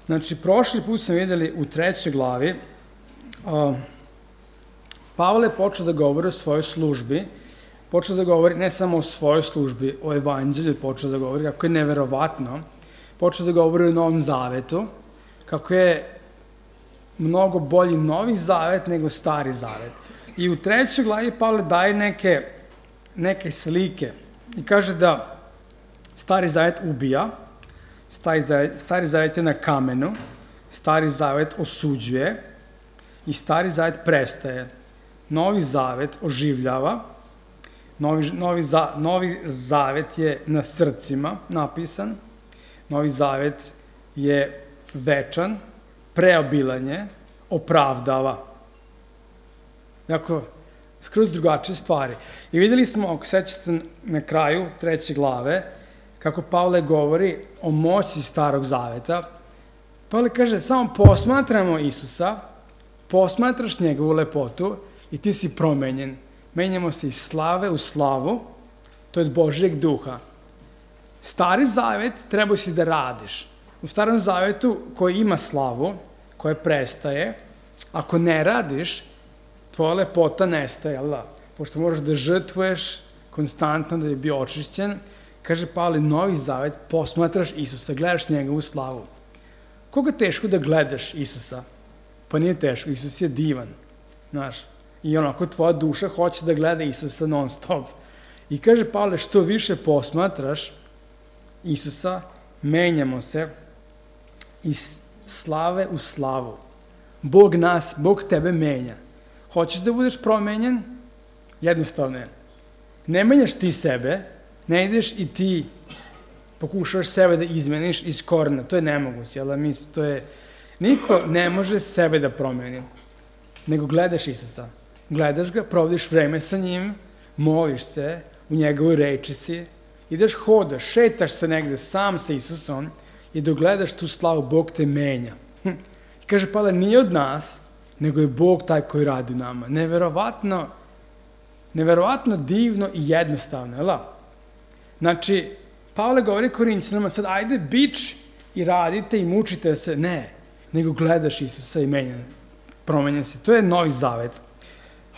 Znači, prošli put smo videli u 3. glavi, Pavle je počeo da govori o svojoj službi, počeo da govori ne samo o svojoj službi, o evanđelju, počeo da govori kako je neverovatno, počeo da govori o Novom Zavetu, kako je mnogo bolji Novi Zavet nego Stari Zavet. I u 3. glavi Pavle daje neke slike i kaže da Stari Zavet ubija, Stari Zavet je na kamenu, Stari Zavet osuđuje i Stari Zavet prestaje. Novi Zavet oživljava, Novi Zavet je na srcima napisan, Novi Zavet je večan, preobilan je, opravdava. Dakle, skroz drugačije stvari. I videli smo, ako sećate na kraju 3. glave, kako Pavle govori o moći Starog Zaveta. Pavle kaže, samo posmatramo Isusa, posmatraš njegovu lepotu i ti si promenjen. Menjamo se iz slave u slavu, to je od Božjeg duha. Stari Zavet trebao si da radiš. U Starom Zavetu koji ima slavu, koja prestaje, ako ne radiš, tvoja lepota nestaje, jel da? Pošto moraš da žrtvuješ konstantno da bi bio očišćen, kaže Pavle, Novi Zavet, posmatraš Isusa, gledaš njegovu slavu. Koga je teško da gledaš Isusa? Pa nije teško, Isus je divan, znaš. I onako tvoja duša hoće da gleda Isusa non stop. I kaže Pavle, što više posmatraš Isusa, menjamo se iz slave u slavu. Bog tebe menja. Hoćeš da budeš promenjen? Jednostavno je. Ne menjaš ti sebe, ne ideš i ti pokušaš sebe da izmeniš iz korena. To je nemoguće, niko ne može sebe da promeni, nego gledaš Isusa. Gledaš ga, provodiš vreme sa njim, moliš se, u njegovoj reči si, ideš hodaš, šetaš se negde sam sa Isusom i dok gledaš tu slavu, Bog te menja. I kaže Pavle, nije od nas, nego je Bog taj koji radi u nama. Neverovatno divno i jednostavno, jel' da? Znači, Pavle govori Korinćanima, sad ajde bič i radite i mučite se. Ne, nego gledaš Isusa i promenjen si. To je Novi Zavet.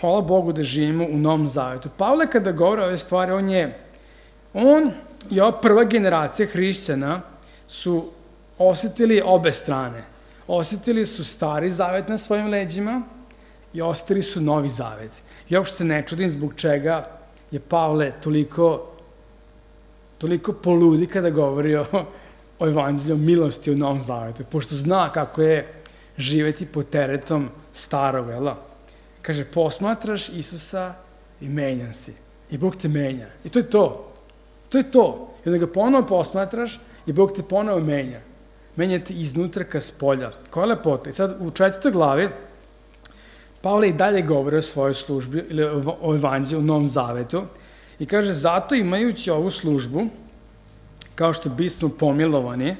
Hvala Bogu da živimo u Novom Zavetu. Pavle kada govori ove stvari, on i ova prva generacija hrišćana su osetili obe strane. Osetili su Stari Zavet na svojim leđima i osetili su Novi Zavet. I uopšte se ne čudim zbog čega je Pavle toliko poludi kada govori o evanđelju, o milosti u Novom Zavetu, pošto zna kako je živeti pod teretom starog, jel' da? Kaže, posmatraš Isusa i menjan si. I Bog te menja. I to je to. To je to. I onda ga ponovo posmatraš i Bog te ponovo menja. Menja te iznutra ka spolja. Koja je lepota? I sad u 4. glavi Pavle i dalje govori o svojoj službi ili o evanđelju u Novom Zavetu i kaže, zato imajući ovu službu, kao što bismo pomilovani,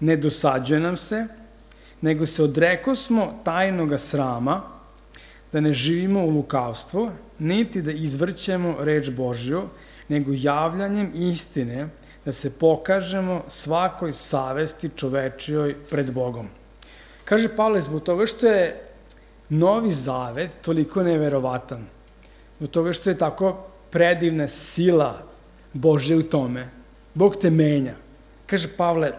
ne dosađuje nam se, nego se odrekosmo tajnoga srama, da ne živimo u lukavstvu, niti da izvrćemo reč Božju, nego javljanjem istine da se pokažemo svakoj savesti čovečijoj pred Bogom. Kaže Pavle, zbog toga što je Novi Zavet toliko neverovatan, zbog toga što je tako predivna sila Božja u tome, Bog te menja. Kaže Pavle,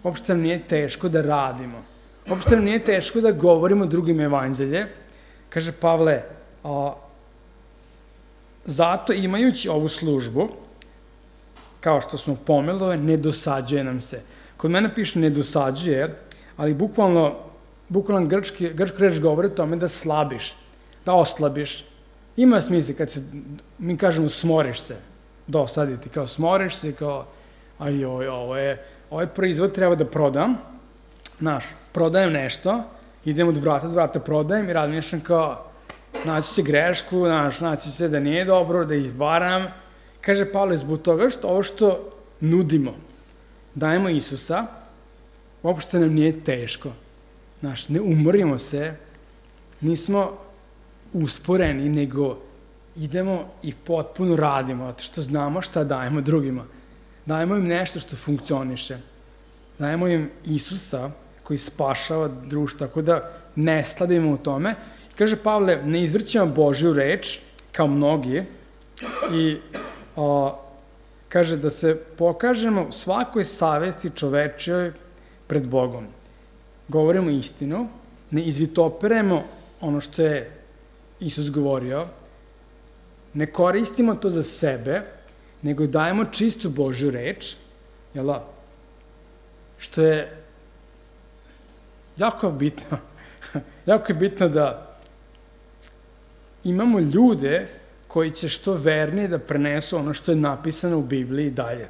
uopšte nam nije teško da radimo, uopšte nam nije teško da govorimo drugim evanđelje. Kaže Pavle, zato imajući ovu službu, kao što smo pomelovali, ne dosađuje nam se. Kod mene piše ne dosađuje, ali bukvalno grčka reč govori o tome da slabiš, da oslabiš. Ima smisla kad mi kažemo smoriš se, dosaditi, kao smoriš se, kao ovaj proizvod treba da prodam, prodajem nešto, idem od vrata do vrata, prodajem i razmišljam kao, naći će grešku, naći se da nije dobro, da ih varam. Kaže Pavle, zbog toga što ovo što nudimo, dajemo Isusa, uopšte nam nije teško. Ne umorimo se, nismo usporeni, nego idemo i potpuno radimo, zato što znamo šta dajemo drugima. Dajemo im nešto što funkcioniše. dajemo im Isusa koji spašava društvo, tako da ne slabimo u tome. Kaže Pavle, ne izvrćemo Božju reč, kao mnogi, i kaže da se pokažemo svakoj savesti čovečijoj pred Bogom. Govorimo istinu, ne izvitoperemo ono što je Isus govorio, ne koristimo to za sebe, nego dajemo čistu Božju reč, jel da? Što je jako bitno. Jako je bitno da imamo ljude koji će što vernije da prenesu ono što je napisano u Bibliji dalje.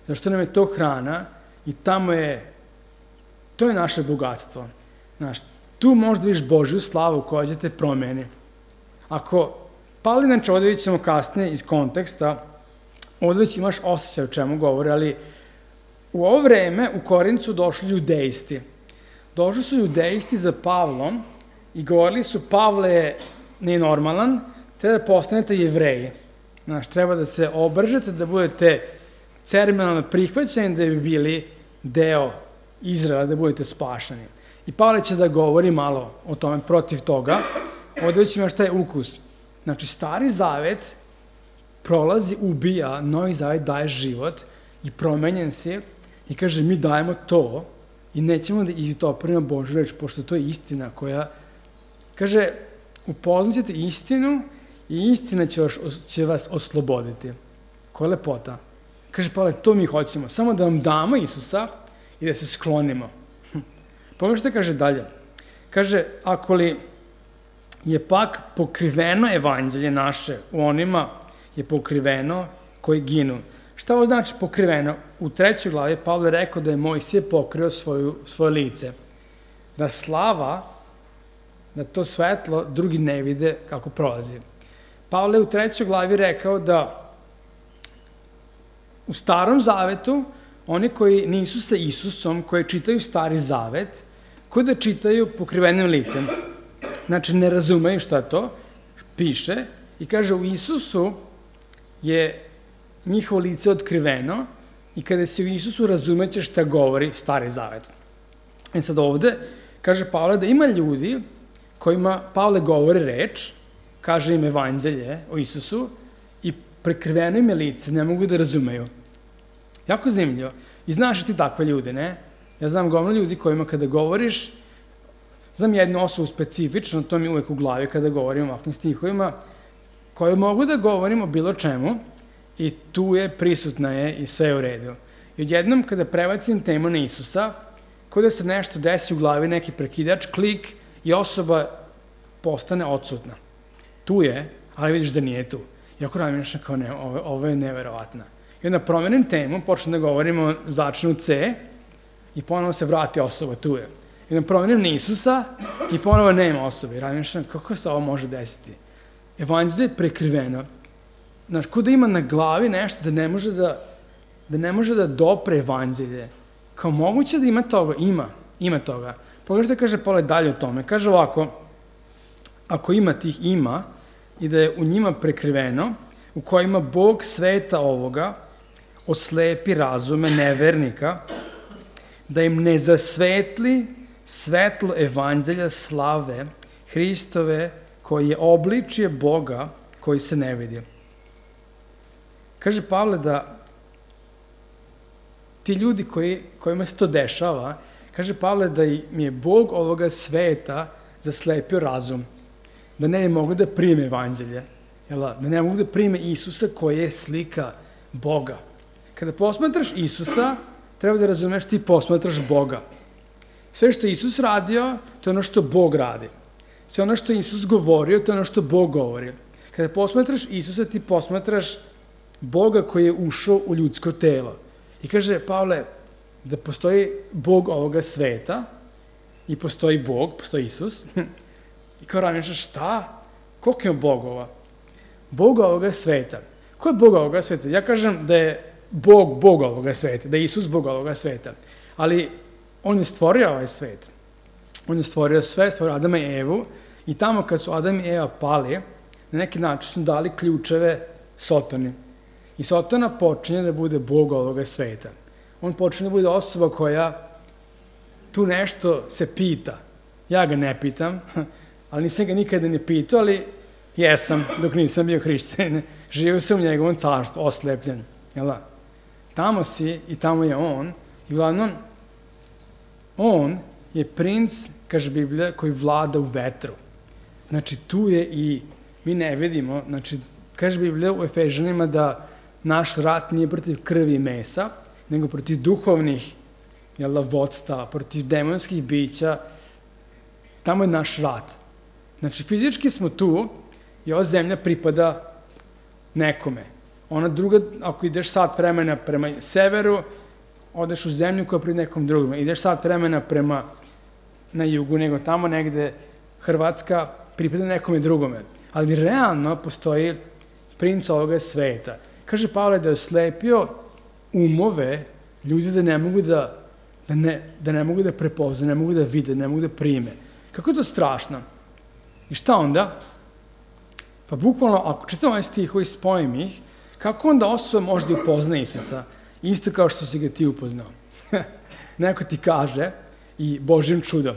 Zašto nam je to hrana i to je naše bogatstvo. Znaš, tu možda vidiš Božju slavu koja će te promeni. Inače ovdje vidjet ćemo kasnije iz konteksta, ovdje već imaš osjećaj o čemu govori, ali u ovo vreme u Korincu došli judejsti. Došli su judejsti za Pavlom i govorili su, Pavle nije normalan, treba da postanete Jevreji. Znaš, treba da se obržete, da budete ceremonijalno prihvaćeni, da bi bili deo Izraela, da budete spašeni. I Pavle će da govori malo o tome protiv toga. Ovdje već imaš taj ukus. Znači, Stari Zavet prolazi, ubija, Novi Zavet daje život i promenjen si i kaže, mi dajemo to i nećemo da izvitoperimo Božju reč, pošto to je istina koja, kaže, upoznaćete istinu i istina će vas osloboditi. Koja je lepota. Kaže Pavle, to mi hoćemo, samo da vam damo Isusa i da se sklonimo. Pogledaj što kaže dalje. Kaže, ako li je pak pokriveno evanđelje naše, u onima je pokriveno koji ginu. Šta ovo znači pokriveno? U 3. glavi Pavle rekao da je Mojsije pokrio svoje lice. Da slava, da to svetlo drugi ne vide kako prolazi. Pavle je u 3. glavi rekao da u Starom Zavetu oni koji nisu sa Isusom, koji čitaju Stari Zavet, koji da čitaju pokrivenim licem. Znači, ne razumeju šta to piše i kaže u Isusu je njihovo lice otkriveno i kada se u Isusu razumeće šta govori Stari Zavet. I sad ovde kaže Pavle da ima ljudi kojima Pavle govori reč, kaže im evanđelje o Isusu i prekriveno im je lice, ne mogu da razumeju. Jako zanimljivo. I znaš ti takve ljude, ne? Ja znam gomno ljudi kojima kada govoriš, znam jednu osobu specifično, to mi uvek u glavi kada govorim o ovakvim stihovima, koju mogu da govorim o bilo čemu i tu je, prisutna je i sve je u redu. I odjednom kada prebacim temu na Isusa, kao da se nešto desi u glavi, neki prekidač, klik i osoba postane odsutna. Tu je, ali vidiš da nije tu. I ako razmišljam kao ne, ovo je neverovatno. I onda promenim temu, počnem da govorimo, začnu C i ponovo se vrati osoba, tu je. I onda promenim na Isusa i ponovo nema osobe. I razmišljam kako se ovo može desiti. Evanđelje je prekriveno. Znaš, ko da ima na glavi nešto da ne može da dopre evanđelje. Kao moguće da ima toga? Ima toga. Pogledaj što kaže Pavle dalje o tome. Kaže ovako, ako ima tih ima i da je u njima prekriveno, u kojima Bog sveta ovoga oslepi razume nevernika, da im ne zasvetli svetlo evanđelja slave Hristove, koji je obličje Boga koji se ne vidi. Kaže Pavle da ti ljudi kojima se to dešava, kaže Pavle da im je Bog ovoga sveta zaslepio razum, da ne bi mogli da prime evanđelje, da ne mogu da prime Isusa koji je slika Boga. Kada posmatraš Isusa, treba da razumeš ti posmatraš Boga. Sve što je Isus radio, to je ono što Bog radi. Sve ono što je Isus govorio, to je ono što Bog govori. Kada posmatraš Isusa, ti posmatraš Boga koji je ušao u ljudsko telo. I kaže Pavle da postoji Bog ovoga sveta i postoji Bog, postoji Isus. I kao razmišljaš šta? Koliko je Bogova? Bog ovoga sveta. Ko je Bog ovoga sveta? Ja kažem da je Bog ovoga sveta, da je Isus Bog ovoga sveta. Ali on je stvorio ovaj svet. On je stvorio sve, stvorio Adama i Evu i tamo kad su Adam i Eva pali, na neki način su dali ključeve Sotoni. I Sotona počinje da bude Bog ovoga sveta. On počinje da bude osoba koja tu nešto se pita. Ja ga ne pitam, ali nisam ga nikada ne pitao, ali jesam dok nisam bio hrišćanin. Živio sam u njegovom carstvu, oslepljen. Jel da? Tamo si i tamo je on. I uglavnom, on je princ, kaže Biblija, koji vlada u vetru. Znači, tu je i mi ne vidimo, znači, kaže Biblija u Efežanima da naš rat nije protiv krvi i mesa, nego protiv duhovnih vodstava, protiv demonskih bića. Tamo je naš rat. Znači, fizički smo tu i ova zemlja pripada nekome. Ona druga, ako ideš sat vremena prema severu, odeš u zemlju koja pripada nekom drugom. Ideš sat vremena prema na jugu, nego tamo negde Hrvatska pripada nekome drugome. Ali realno postoji princ ovoga sveta. Kaže Pavle da je oslepio umove ljudi da ne mogu da ne mogu da prepoznaju, ne mogu da vide, ne mogu da prime. Kako je to strašno? I šta onda? Pa bukvalno, ako čitamo ovaj stihovi, spojim ih, kako onda osoba može da upozna Isusa? Isto kao što si ga ti upoznao. Neko ti kaže i Božjim čudom.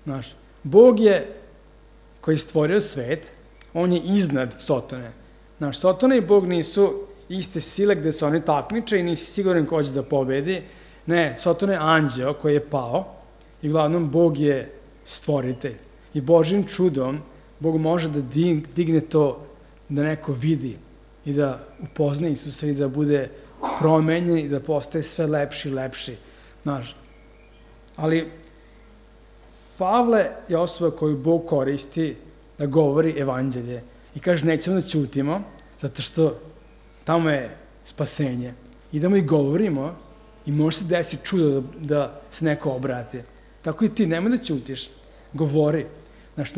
Znaš, Bog je, koji je stvorio svet, on je iznad Sotone. Znaš, Sotona i Bog nisu iste sile gde se oni takmiče i nisi siguran ko će da pobedi. Ne, Sotona je anđeo koji je pao i uglavnom Bog je stvoritelj. I Božjim čudom Bog može da digne to da neko vidi i da upozna Isusa i da bude promenjen i da postaje sve lepši i lepši. Znaš, ali Pavle je osoba koju Bog koristi da govori evanđelje i kaže nećemo da ćutimo zato što tamo je spasenje. Idemo i govorimo i može se desiti čudo da se neko obrati. Tako i ti, nemoj da ćutiš, govori. Znaš,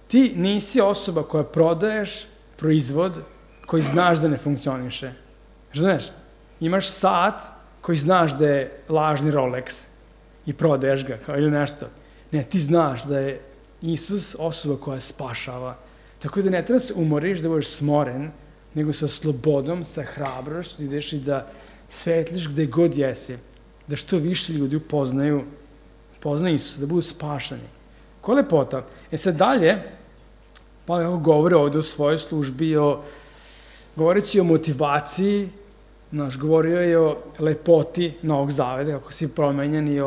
ti nisi osoba koja prodaješ proizvod koji znaš da ne funkcioniše. Znaš, imaš sat koji znaš da je lažni Rolex i prodaješ ga kao ili nešto. Ne, ti znaš da je Isus osoba koja spašava. Tako da ne treba se umoriš, da budeš smoren, nego sa slobodom, sa hrabrošću, ideš i da svetliš gde god jesi. Da što više ljudi upoznaju Isusa, da budu spašani. Ko lepota. Sad dalje, pa govore ovde o svojoj službi, govoreći o motivaciji, govorio je o lepoti Novog Zaveta, kako si promenjen i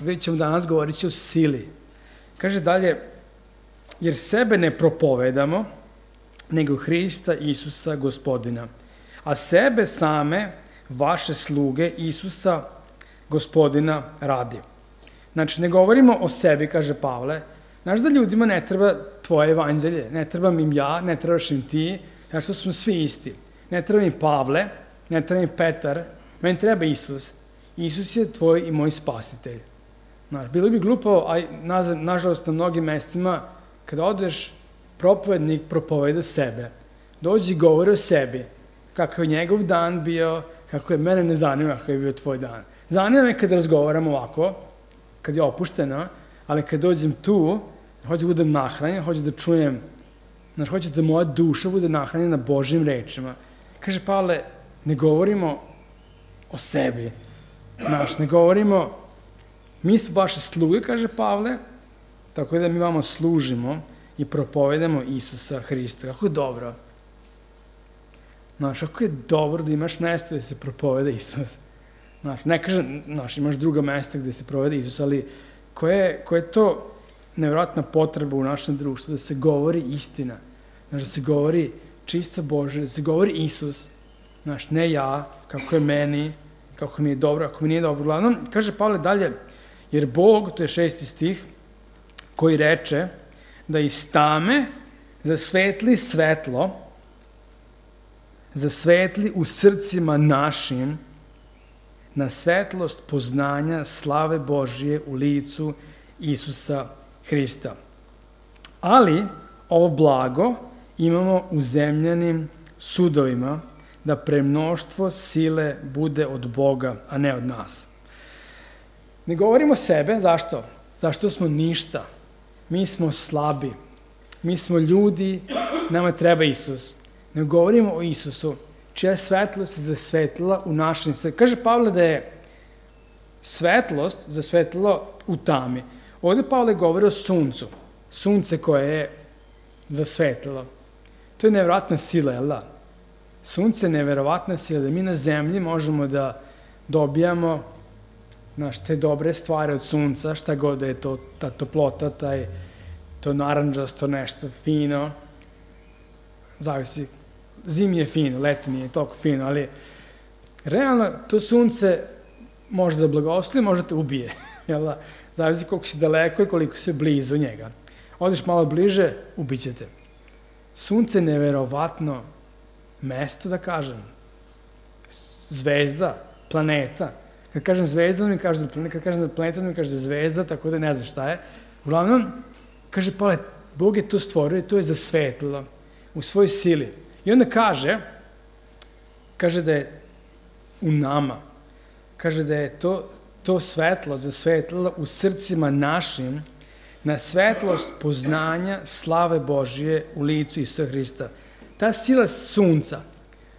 vidjet ćemo danas govorit o sili. Kaže dalje, jer sebe ne propovedamo, nego Hrista Isusa Gospodina, a sebe same, vaše sluge, Isusa Gospodina radi. Znači, ne govorimo o sebi, kaže Pavle. Znaš da ljudima ne treba tvoje evanđelje, ne trebam im ja, ne trebaš im ti, znači to smo svi isti. Ne treba im Pavle, ne treba im Petar, meni treba Isus. Isus je tvoj i moj spasitelj. Znaš, bilo bi glupo, a nažalost na mnogim mestima, kada odeš, propovednik propoveda sebe. Dođi i govori o sebi, kako je njegov dan bio, kako je, mene ne zanima kako je bio tvoj dan. Zanima me kad razgovaram ovako, kad je opušteno, ali kad dođem tu, hoću da budem nahranjen, hoću da čujem, znaš, hoću da moja duša bude nahranjena Božjim rečima. Kaže Pavle, ne govorimo o sebi, znaš, ne govorimo, mi su vaše sluge, kaže Pavle, tako da mi vama služimo i propovedamo Isusa Hrista. Kako je dobro. Znaš, kako je dobro da imaš mesto gde se propoveda Isus. Znaš, ne kažem, znaš, imaš druga mesta gde se provede Isus, ali koja je to nevjerojatna potreba u našem društvu, da se govori istina. Znaš, da se govori čista Božja, da se govori Isus. Znaš, ne ja, kako je meni, kako mi je dobro, ako mi nije dobro. Uglavnom, kaže Pavle dalje, jer Bog, to je 6. stih, koji reče da iz tame zasvetli svetlo, zasvetli u srcima našim na svetlost poznanja slave Božije u licu Isusa Hrista. Ali ovo blago imamo u zemljanim sudovima, da premnoštvo sile bude od Boga, a ne od nas. Ne govorimo sebe, zašto? Zašto smo ništa. Mi smo slabi. Mi smo ljudi, nama treba Isus. Ne govorimo o Isusu, čija svetlost se zasvetlila u našem srcu. Kaže Pavle da je svetlost zasvetlilo u tami. Ovdje Pavle govori o suncu. Sunce koje je zasvetlilo. To je nevjerovatna sila, jel da? Sunce je nevjerovatna sila, da mi na zemlji možemo da dobijamo te dobre stvari od sunca, šta god da je to, ta toplota, to naranđasto nešto fino, zavisi, zimi je fino, leti nije toliko fino, ali realno to sunce može da blagoslovi, može da te ubije, jel da? Zavisi koliko si daleko i koliko si blizu njega. Odiš malo bliže, ubićete. Sunce je nevjerovatno mesto, da kažem, zvezda, planeta. Kad kažem zvezda, mi kaže da planeta, kad kažem da planeta, mi kaže da zvezda, tako da ne znam šta je. Uglavnom, kaže Pavle, Bog je to stvorio i to je zasvetlilo u svojoj sili. I onda kaže da je u nama, kaže da je to svetlo zasvetlilo u srcima našim na svetlost poznanja slave Božije u licu Isusa Hrista. Ta sila sunca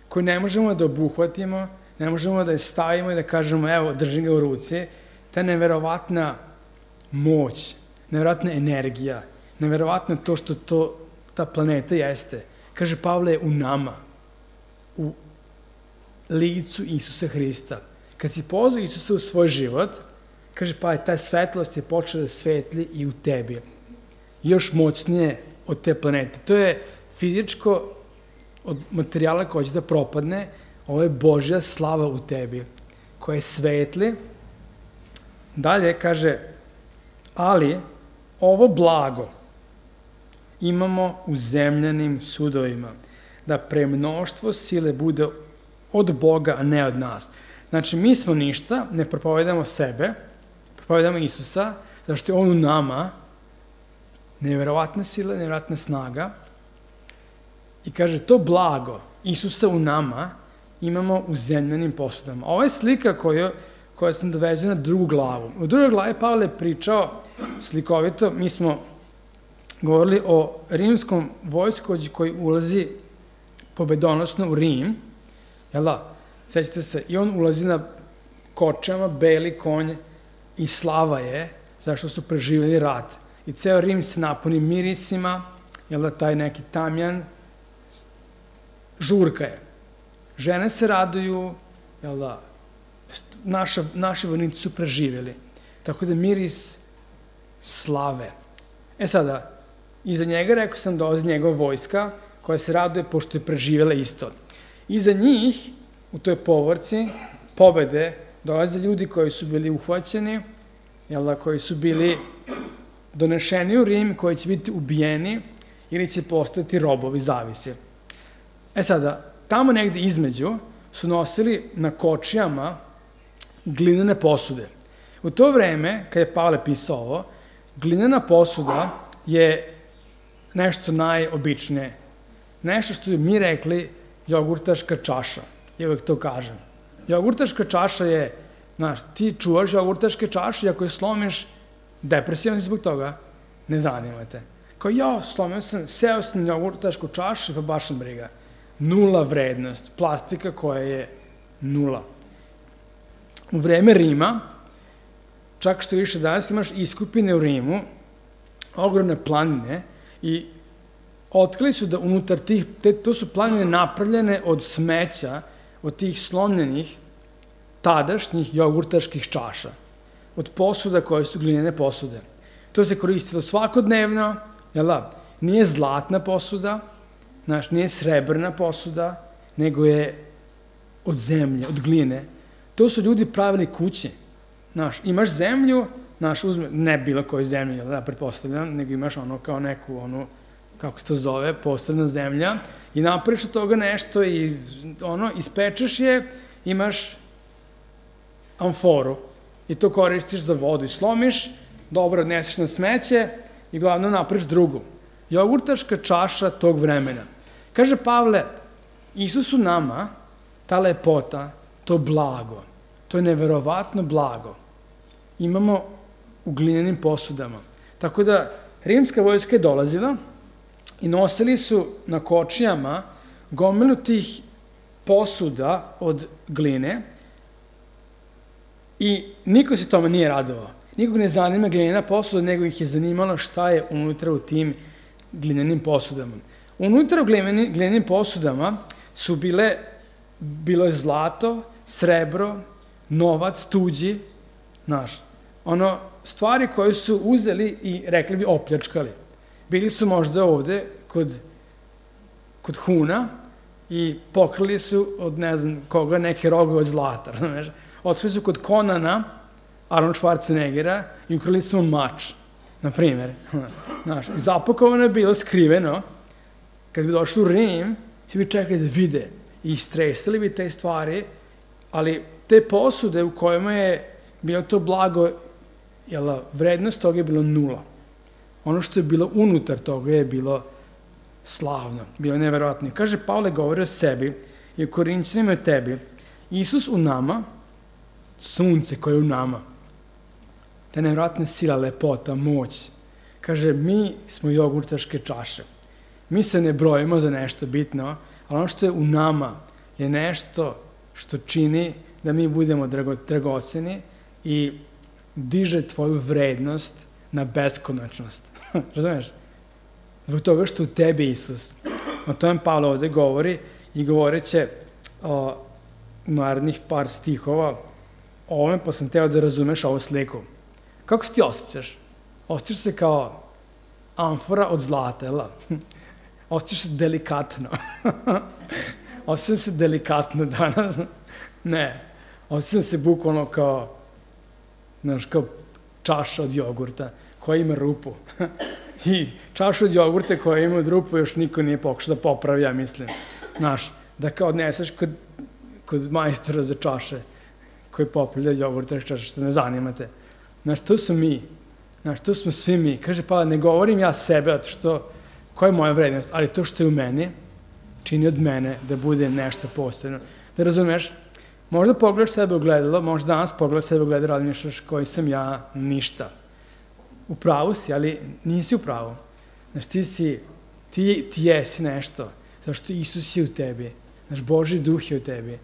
koju ne možemo da obuhvatimo, ne možemo da je stavimo i da kažemo evo držim ga u ruci, ta neverovatna moć, neverovatna energija, neverovatno to što ta planeta jeste. Kaže Pavle je u nama, u licu Isusa Hrista. Kad si pozvao Isusa u svoj život, kaže pa ta svetlost je počela da svetli i u tebi. Još moćnije od te planete. To je fizičko od materijala koji će da propadne, ovo je Božja slava u tebi, koja je svetli. Dalje kaže, ali ovo blago imamo u zemljanim sudovima, da premnoštvo sile bude od Boga, a ne od nas. Znači, mi smo ništa, ne propovedamo sebe, propovedamo Isusa, zato što je on u nama, nevjerovatna sila, nevjerovatna snaga. I kaže, to blago Isusa u nama imamo u zemljanim posudama. Ovo je slika koja sam doveđena na drugu glavu. U drugoj glavi Pavle je pričao slikovito, mi smo govorili o rimskom vojskovođi koji ulazi pobedonosno u Rim, jel da? Sećate se, i on ulazi na kočama, beli konj i slava je, zašto su preživjeli rat. I ceo Rim se napuni mirisima, jel da, taj neki tamjan, žurka je. Žene se raduju, jel da, naši vojnici su preživjeli. Tako da miris slave. Sada, iza njega, rekao sam, dolazi njegova vojska, koja se raduje pošto je preživjela isto. Iza njih, u toj povorci, pobede, dolaze ljudi koji su bili uhvaćeni, jel da, koji su bili donešeni u Rim, koji će biti ubijeni ili će postati robovi, zavisi. Sada, tamo negde između su nosili na kočijama glinene posude. U to vreme, kad je Pavle pisao ovo, glinena posuda je nešto najobičnije. Nešto što bi mi rekli jogurtaška čaša. Ja uvek to kažem. Jogurtaška čaša je, znaš, ti čuvaš jogurtaške čaše i ako je slomiš, depresivan si zbog toga, ne zanima te. Kao ja, slomio sam, seo sam na jogurtašku čašu, pa baš sam briga. Nula vrednost, plastika koja je nula. U vreme Rima, čak što više danas imaš iskupine u Rimu, ogromne planine i otkrili su da unutar to su planine napravljene od smeća, od tih slomljenih tadašnjih jogurtaških čaša, od posuda koje su glinene posude. To se koristilo svakodnevno, jel da? Nije zlatna posuda, znaš, nije srebrna posuda, nego je od zemlje, od gline. To su ljudi pravili kuće. Znaš, imaš zemlju, znaš, ne bilo koju zemlju, da pretpostavljam, nego imaš ono kao neku, ono, kako se to zove, posebna zemlja, i napraviš od toga nešto i ono, ispečeš je, imaš amforu i to koristiš za vodu i slomiš, dobro odneseš na smeće i glavno napraviš drugu. Jogurtaška čaša tog vremena. Kaže Pavle, Isus u nama, ta lepota, to blago, to je neverovatno blago, imamo u glinenim posudama. Tako da, rimska vojska je dolazila i nosili su na kočijama gomilu tih posuda od gline I niko se tome nije radovao. Nikog ne zanima glinena posuda, nego ih je zanimalo šta je unutra u tim glinenim posudama. Unutra u glinenim posudama su bilo je zlato, srebro, novac, tuđi, stvari koje su uzeli i rekli bi opljačkali. Bili su možda ovde kod Huna i pokrili su od ne znam koga neke rogove od zlata. Otkrili su kod Konana, Arnold Schwarzeneggera, i ukrali su mač, na primjer. Zapakovano je bilo skriveno. Kad bi došli u Rim, svi bi čekali da vide i istresali bi te stvari, ali te posude u kojima je bilo to blago, vrednost toga je bilo 0. Ono što je bilo unutar toga je bilo slavno, bilo neverovatno. Kaže, Pavle govori o sebi i o Korinćanima i o tebi. Isus u nama, sunce koje je u nama, ta neverovatna sila, lepota, moć. Kaže, mi smo jogurtaške čaše. Mi se ne brojimo za nešto bitno, ali ono što je u nama je nešto što čini da mi budemo dragoceni i diže tvoju vrednost na beskonačnost. Razumeš? Zbog toga što u tebi Isus. O tome Pavle ovde govori i govoreće u narednih par stihova o ovome, pa sam teo da razumeš ovu sliku. Kako se ti osjećaš? Osjećaš se kao amfora od zlata, jel? Osjećaš se delikatno. Osjećam se delikatno danas. Ne. Osjećam se bukvalno kao čaša od jogurta koja ima rupu. I čašu od jogurta koja ima rupu još niko nije pokušao da popravi, ja mislim. Da kao odneseš kod majstora za čaše koji popravlja jogurta iz čaša, što ne zanimate. To su mi. To smo svi mi. Kaže, pa ne govorim ja sebe, koja je moja vrednost, ali to što je u meni čini od mene da bude nešto posebno. Da razumeš, možda pogledaš sebe u gledalo, možda danas pogledaš sebe u gledalo, razmišljaš koji sam ja, ništa. U pravu si, ali nisi u pravu. Ti jesi nešto, zašto Isus je u tebi, Božji duh je u tebi.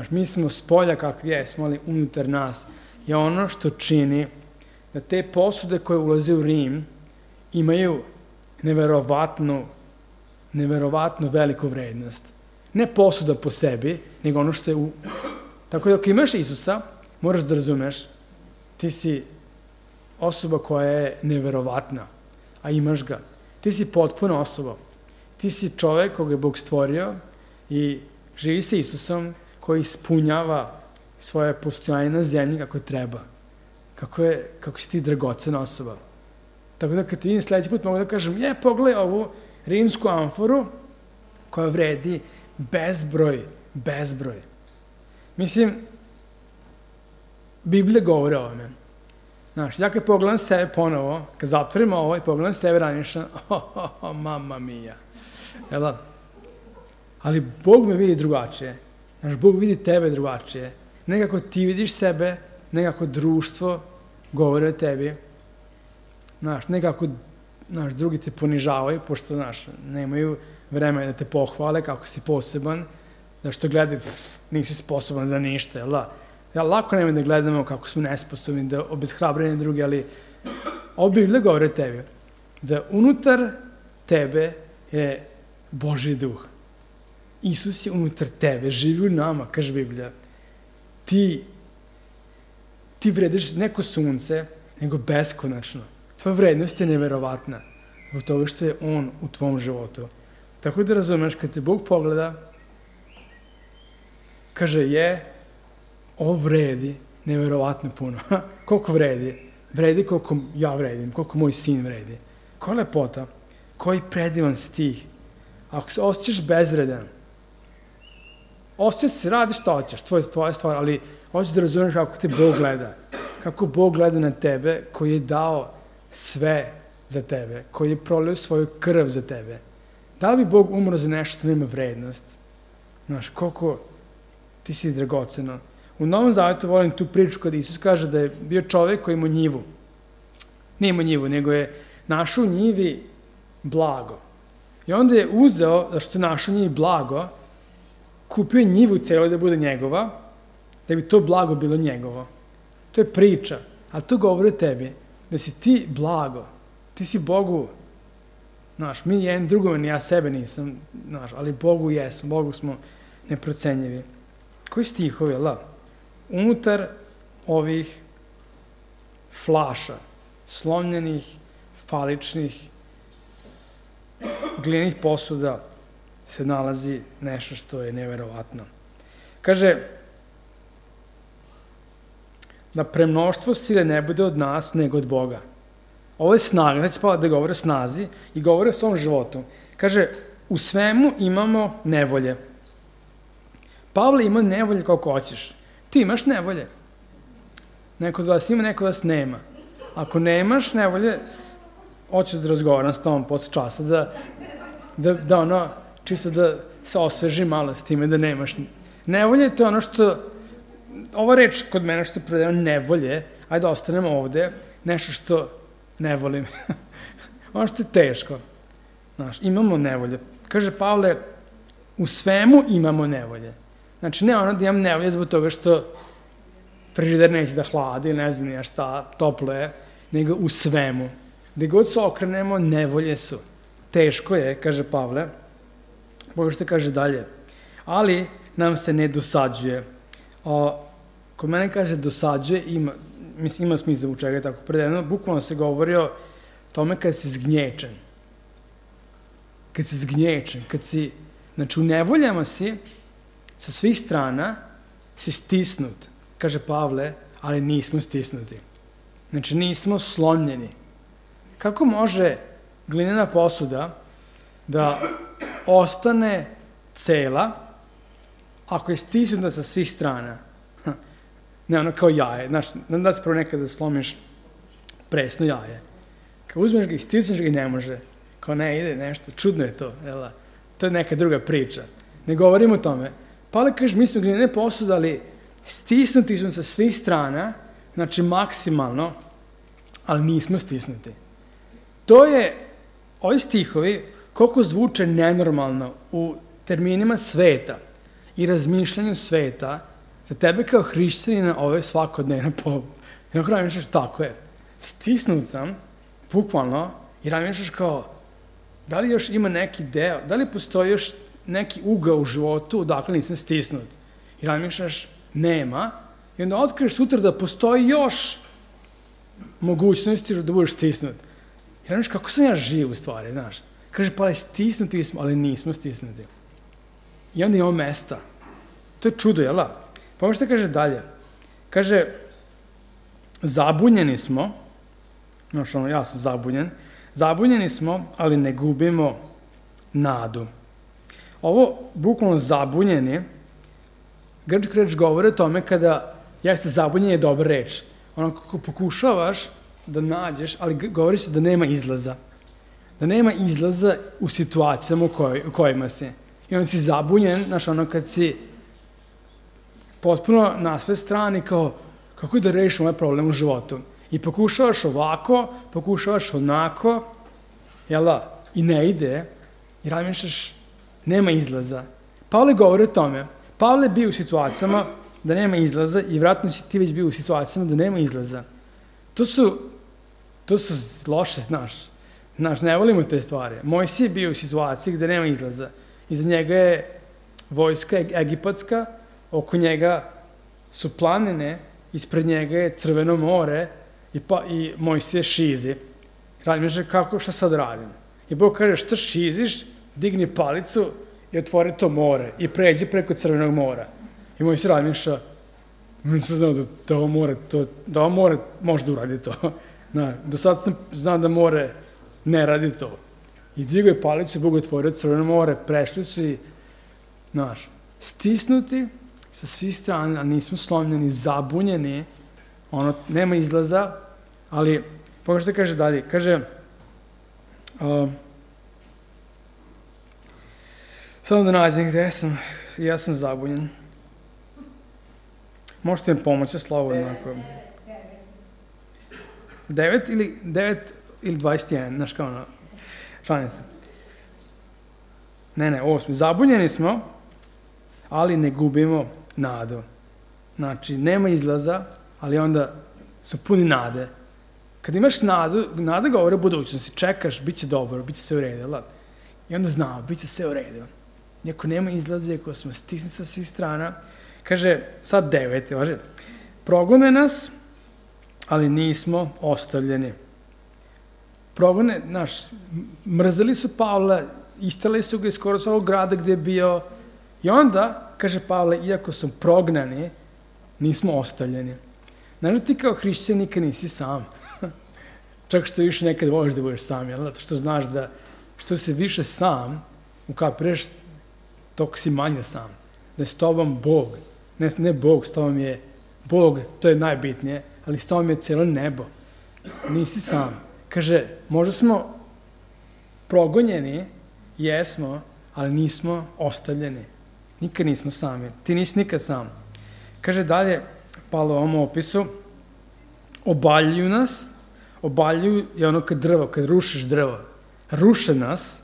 Mi smo s polja kakvi jesmo, ali unutar nas je ono što čini da te posude koje ulaze u Rim imaju neverovatno veliku vrednost. Ne posuda po sebi, nego ono što je u... Tako da ako imaš Isusa, moraš da razumeš, ti si osoba koja je neverovatna, a imaš ga. Ti si potpuna osoba. Ti si čovek koga je Bog stvorio i živi sa Isusom koji ispunjava svoje postojanje na zemlji kako treba. Kako si ti dragocena osoba. Tako da kad ti vidim sledeći put mogu da kažem, pogledaj ovu rimsku amforu koja vredi bezbroj. Mislim, Biblija govori o ovome. Ja kad pogledam sebe ponovo, kad zatvorim ovo i pogledam sebe razmišljam, mamma mia. Ali Bog me vidi drugačije. Bog vidi tebe drugačije. Nekako ti vidiš sebe, nekako društvo govori o tebi. Nekako drugi te ponižavaju, pošto nemaju vremena da te pohvale kako si poseban, da što gledaju, nisi sposoban za ništa, jel da? Lako nema da gledamo kako smo nesposobni, da obeshrabreni drugi, ali ovo Biblija govori o tebi, da unutar tebe je Božji duh. Isus je unutar tebe, živi u nama, kaže Biblija. Ti vrediš neko sunce, nego beskonačno. Tvoja vrednost je neverovatna, zbog toga što je On u tvom životu. Tako da razumeš, kad te Bog pogleda, kaže, ovo vredi neverovatno puno. Koliko vredi? Vredi koliko ja vredim, koliko moj sin vredi. Koja lepota, koji predivan stih. Ako se osjećaš bezvredan, osjećaš se, radiš šta hoćeš, tvoja stvar, ali hoćeš da razumeš kako te Bog gleda. Kako Bog gleda na tebe, koji je dao sve za tebe, koji je prolio svoju krv za tebe. Da bi Bog umro za nešto što nema vrednost? Koliko ti si dragoceno. U Novom Zavetu volim tu priču kada Isus kaže da je bio čovek koji ima njivu. Nije imao njivu, nego je našao u njivi blago. I onda je uzeo, zašto je našao u njivi blago, kupio je njivu celo da bude njegova, da bi to blago bilo njegovo. To je priča, ali to govori o tebi, da si ti blago, ti si Bogu, znaš, mi jedan drugome, ni ja sebe nisam, znaš, ali Bogu jesmo, Bogu smo neprocenjivi. Koji stihovi, unutar ovih flaša, slomljenih, faličnih, glinenih posuda se nalazi nešto što je neverovatno. Kaže, da premnoštvo sile ne bude od nas, nego od Boga. Ovo je snaga, znači Pavle da govori o snazi i govori o svom životu. Kaže, u svemu imamo nevolje. Pavle ima nevolje kako hoćeš. Ti imaš nevolje. Neko od vas ima, neko od vas nema. Ako nemaš nevolje, hoću da razgovaram s tobom posle časa, čisto da se osveži malo s time da nemaš nevolje. To je ono što, ova reč kod mene što je prevedeno nevolje, ajde ostanemo ovde, nešto što ne volim. Ono što je teško. Znaš, imamo nevolje. Kaže Pavle, u svemu imamo nevolje. Znači, ne ono da imam nevolje zbog toga što frižider neće da hladi, ne znam ja šta, toplo je, nego u svemu. Gde god se okrenemo, nevolje su. Teško je, kaže Pavle, Boga što kaže dalje. Ali nam se ne dosađuje. Kod mene kaže dosađuje, ima smisla u čega je tako prevedeno, bukvalno se govori o tome kad si zgnječen. Kad si zgnječen, znači u nevoljama si, sa svih strana si stisnut, kaže Pavle, ali nismo stisnuti. Znači nismo slomljeni. Kako može glinena posuda da ostane cela ako je stisnuta sa svih strana? Ne, ono kao jaje. Znaš, da se prvo nekada slomiš presno jaje. Kad uzmeš ga i stisneš ga i ne može. Kao ne, ide nešto, čudno je to. To je neka druga priča. Ne govorimo o tome. Pavle kaže, mi smo glinene posude, ali stisnuti smo sa svih strana, znači maksimalno, ali nismo stisnuti. To je, ovi stihovi, koliko zvuče nenormalno u terminima sveta i razmišljanju sveta, za tebe kao hrišćanina ovo je svakodnevno jednog razmišljaš, tako je. Stisnut sam, bukvalno, i razmišljaš kao, da li još ima neki deo, da li postoji još neki ugao u životu odakle nisam stisnut. I razmišljaš, nema, i onda otkriješ sutra da postoji još mogućnosti da budeš stisnut. I razmišljaš, kako sam ja živ u stvari, znaš. Kaže, pa stisnuti smo, ali nismo stisnuti. I onda imamo mesta. To je čudo, jel' da? Pa ovo što kaže dalje. Kaže, zabunjeni smo, znaš ono, ja sam zabunjen, zabunjeni smo, ali ne gubimo nadu. Ovo, bukvalno zabunjeni, grčka reč govori o tome kada jeste zabunjen je dobra reč. Ono kako pokušavaš da nađeš, ali govori se da nema izlaza. Da nema izlaza u situacijama u kojima si. I onda si zabunjen, znaš ono kad si potpuno na sve strani kao kako da rešiš ovaj problem u životu. I pokušavaš ovako, pokušavaš onako, jel da? I ne ide, i razmišljaš, nema izlaza. Pavle govori o tome. Pavle je bio u situacijama da nema izlaza i vjerojatno si ti već bio u situacijama da nema izlaza. To su loše, znaš, ne volimo te stvari. Mojsije je bio u situaciji gde nema izlaza. Iza njega je vojska egipatska, oko njega su planine, ispred njega je Crveno more i Mojsije šizi. Razmišlja kako, šta sad radim? I Bog kaže, šta šiziš, digni palicu i otvori to more i pređi preko Crvenog mora. I Mojsije razmišlja, nisam znao da ovo more može da uradi to. Do sad sam znao da more ne radi to. I digao je palicu, Bog otvorio Crveno more, prešli su i, znaš, stisnuti sa svih strana, ali nismo slomljeni, zabunjeni, nema izlaza, ali, pogledaj što kaže dalje, kaže, samo da nađem gde sam, ja sam zabunjen. Možete mi pomoći, slobodno, ako... 9 ili 21, znaš kao ono, šalim se. Ne, 8. Zabunjeni smo, ali ne gubimo nadu. Znači, nema izlaza, ali onda su puni nade. Kad imaš nadu, nada govore o budućnosti, čekaš, bit će dobro, bit će sve u redu, i onda znao, bit će sve u redu. Iako nema izlaze, ako smo stisni sa svih strana, kaže, sad 9, važe, progone nas, ali nismo ostavljeni. Progone, mrzeli su Pavla, istrali su ga iz skoro svog grada gdje je bio, i onda, kaže Pavle, iako su prognani, nismo ostavljeni. Znaš da ti kao hrišćan nikad nisi sam. Čak što više nekad voliš da budeš sam, jel? Zato što znaš da što si više sam, ukapiraš, toliko si manje sam. Da je s tobom Bog. Ne Bog, s tobom je Bog, to je najbitnije, ali s tobom je cijelo nebo. Nisi sam. Kaže, možda smo progonjeni, jesmo, ali nismo ostavljeni. Nikad nismo sami. Ti nisi nikad sam. Kaže dalje, Pavle u ovom opisu, obaljuju nas, obaljuju je ono kad rušiš drvo. Ruše nas,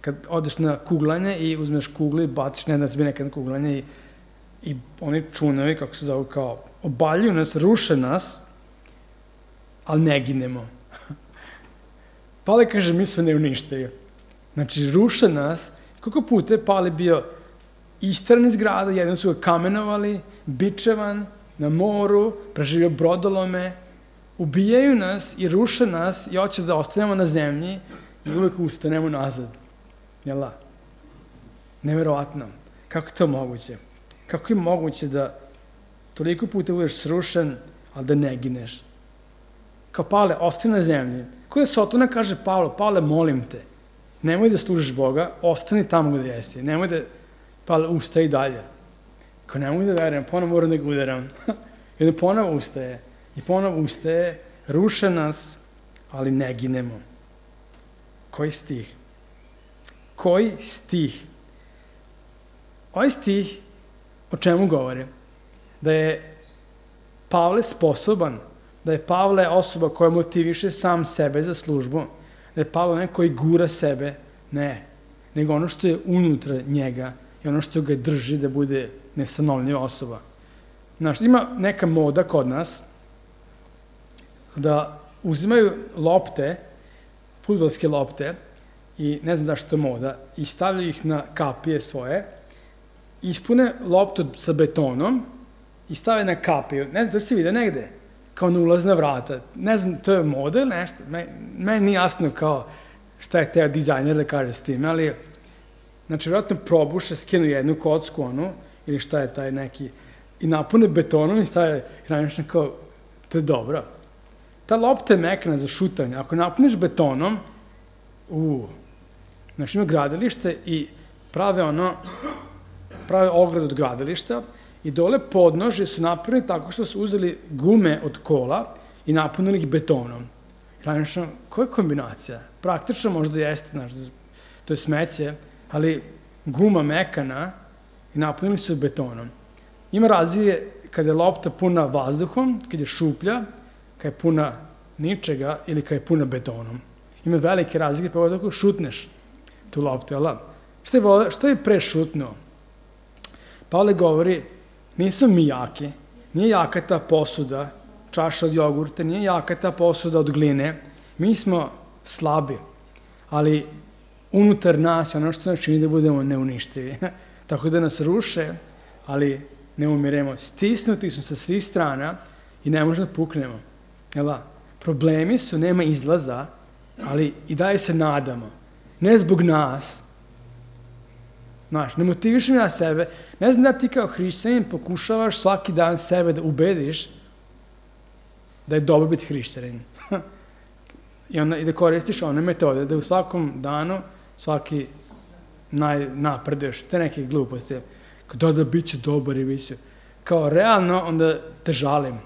kad odeš na kuglanje i uzmeš kugli i baciš, ne znam, nekad na kuglanje i oni čunovi, kako se zove, kao, obaljuju nas, ruše nas, ali ne ginemo. Pavle kaže, mi smo neuništivi. Znači, ruše nas, koliko puta je Pavle bio istran iz grada, jednom su ga kamenovali, bičevan, na moru, preživio brodolome, ubijaju nas i ruše nas i hoće da ostanemo na zemlji i uvek ustanemo nazad. Jel da? Neverovatno. Kako je to moguće? Kako je moguće da toliko puta budeš srušen, ali da ne gineš? Kao Pavle, ostani na zemlji. Ko je Sotona kaže Pavle, molim te, nemoj da služiš Boga, ostani tamo gde jesi. Nemoj da, Pavle, ustaj dalje. Kao ne mogu da verujem, ponovo moram da ga udaram. I onda ponovo ustaje, ruše nas, ali ne ginemo. Koji stih? Koji stih? Ovaj stih o čemu govori? Da je Pavle sposoban, da je Pavle osoba koja motiviše sam sebe za službu, da je Pavle neko koji gura sebe, ne, nego ono što je unutra njega i ono što ga drži da bude nesanovljiva osoba. Znaš, ima neka moda kod nas da uzimaju lopte, fudbalske lopte, i ne znam zašto je moda, i stavljaju ih na kapije svoje, ispune loptu sa betonom i stave na kapiju. Ne znam, to se vide negde, kao na ulazna vrata. Ne znam, to je moda ili nešto. Meni nije jasno kao šta je teo dizajner da kaže s tim, ali znači, vjerojatno probuše, skinu jednu kocku, ili šta je taj neki, i napune betonom i stave hranično kao, to je dobro. Ta lopta je mekana za šutanje. Ako napuniš betonom, znači ima gradilište i prave ogradu od gradilišta i dole podnožje su napravili tako što su uzeli gume od kola i napunili ih betonom. Hranično, koja je kombinacija? Praktično možda jeste, znači, to je smeće, ali guma mekana i napunili su betonom. Ima razlike kada je lopta puna vazduhom, kada je šuplja, kada je puna ničega ili kada je puna betonom. Ima velike razlike, pa tako šutneš tu loptu, jel da? Šta je prešutnuo? Pavle govori, nismo mi jaki, nije jaka ta posuda, čaša od jogurta, nije jaka ta posuda od gline, mi smo slabi, ali unutar nas je ono što nas čini da budemo neuništivi. Tako da nas ruše, ali ne umiremo. Stisnuti smo sa svih strana i ne možemo da puknemo. Problemi su, nema izlaza, ali i dalje se nadamo. Ne zbog nas. Znaš, ne motivišem ja sebe. Ne znam da ti kao hrišćanin pokušavaš svaki dan sebe da ubediš da je dobro biti hrišćanin. I da koristiš one metode, da u svakom danu svaki napreduješ. Te neke gluposti. Da, bit će dobar i bit će. Kao realno, onda te žalim.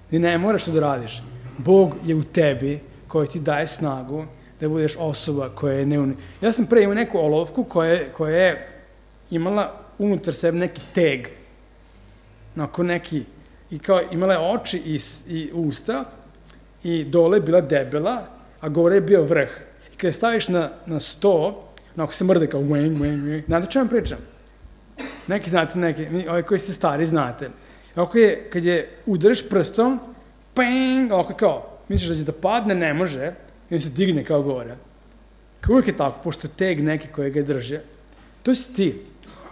Ti ne moraš to da radiš. Bog je u tebi koji ti daje snagu da budeš osoba koja je neuništiva. Ja sam pre imao neku olovku koja je imala unutar sebe neki teg. Onako neki, i kao imala je oči i usta i dole je bila debela, a gore je bio vrh. I kada je staviš na sto, onako se mrde kao znate o čemu pričam? Neki znate, ovi koji ste stari znate. Ovako je, kad je udariš prstom, ping, ovako kao, misliš da će da padne, ne može, i on se digne kao gore. Kao uvijek je tako, pošto teg neki koji ga drže. To si ti.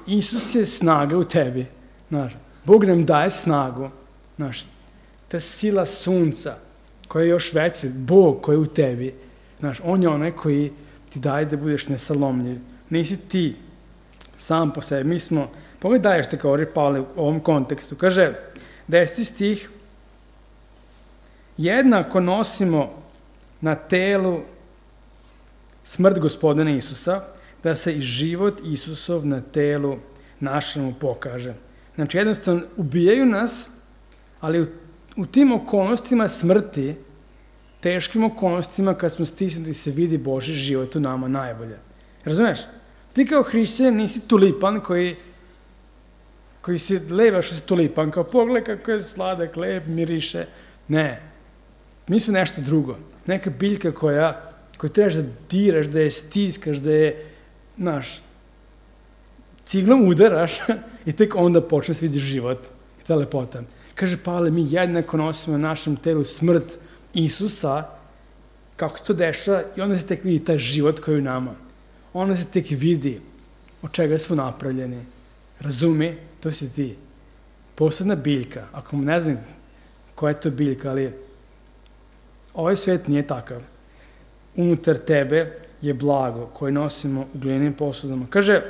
Isus je snaga u tebi. Znaš, Bog nam daje snagu. Znaš, ta sila sunca koja je još veća, Bog koji je u tebi. Znaš, on je onaj koji ti daje da budeš nesalomljiv. Nisi ti sam po sebi. Mi smo, pogledaj što govori Pavle u ovom kontekstu. Kaže, 10. stih, jednako nosimo na telu smrt Gospodina Isusa, da se i život Isusov na telu našemu pokaže. Znači, jednostavno, ubijaju nas, ali u tim okolnostima smrti, teškim okolnostima, kad smo stisnuti, se vidi Božji život u nama najbolje. Razumeš? Ti kao hrišćanin nisi tulipan koji si lebaš što si tulipan, kao pogledaj kako je sladak, lep, miriše. Ne. Mi smo nešto drugo. Neka biljka koju trebaš da diraš, da je stiskaš, da je, znaš, ciglom udaraš i tek onda počne se vidi život i ta lepota. Kaže Pavle, mi jednako nosimo na našem telu smrt Isusa, kako se to dešava, i onda se tek vidi taj život koji je u nama. Onda se tek vidi od čega smo napravljeni. Razumi, to si ti. Posebna biljka, ako ne znam koja je to biljka, ali ovaj svet nije takav. Unutar tebe je blago koje nosimo u glinenim posudama. Kaže,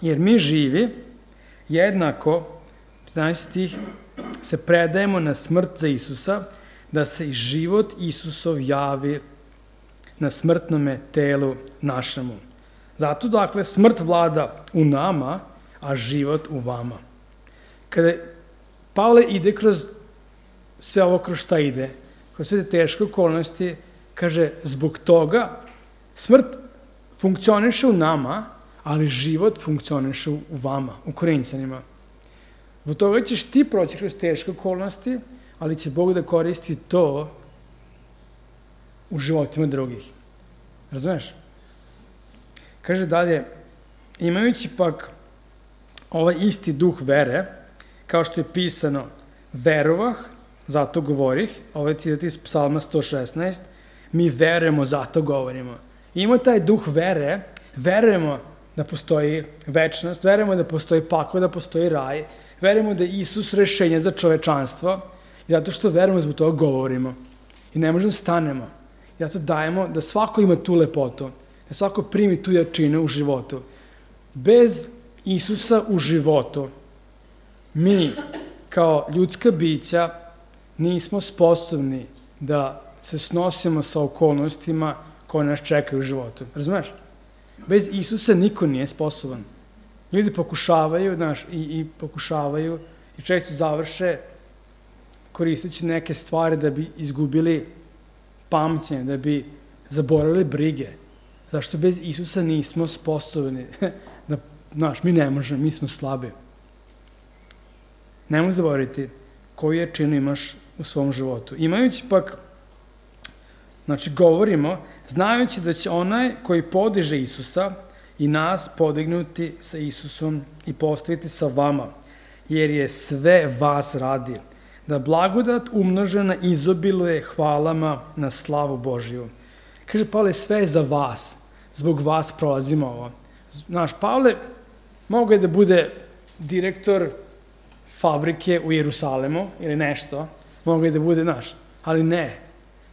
jer mi živi, jednako, 14 stih, se predajemo na smrt za Isusa, da se i život Isusov javi na smrtnome telu našemu. Zato, dakle, smrt vlada u nama, a život u vama. Kada Pavle ide kroz sve ovo kroz šta ide, kroz sve te teške okolnosti, kaže, zbog toga smrt funkcioniše u nama, ali život funkcioniše u vama, u Korinćanima. Zbog toga ćeš ti proći kroz teške okolnosti, ali će Bog da koristi to u životima drugih. Razumeš? Kaže dalje, imajući pak ovaj isti duh vere, kao što je pisano, verovah, zato govorih, ovaj citat iz Psalma 116, mi verujemo, zato govorimo. Ima taj duh vere, verujemo da postoji večnost, verujemo da postoji pakao, da postoji raj, verujemo da je Isus rešenje za čovečanstvo, i zato što verujemo, zbog toga govorimo. I ne možemo stanemo. I zato dajemo da svako ima tu lepotu, da svako primi tu jačinu u životu. Bez Isusa u životu, mi, kao ljudska bića, nismo sposobni da se snosimo sa okolnostima koje nas čekaju u životu. Razumeš? Bez Isusa niko nije sposoban. Ljudi pokušavaju, znaš, i pokušavaju i često završe koristeći neke stvari da bi izgubili pamćenje, da bi zaboravili brige. Zašto bez Isusa nismo sposobni? Da, znaš, mi ne možemo, mi smo slabi. Nemoj zaboraviti koju jačinu imaš u svom životu. Imajući pak, znači govorimo, znajući da će onaj koji podiže Isusa i nas podignuti sa Isusom i postaviti sa vama, jer je sve vas radi, da blagodat umnožena izobiluje hvalama na slavu Božiju. Kaže Pavle, sve je za vas, zbog vas prolazimo ovo. Znaš, Pavle mogao je da bude direktor fabrike u Jerusalemu ili nešto, mogao je da bude naš, ali ne.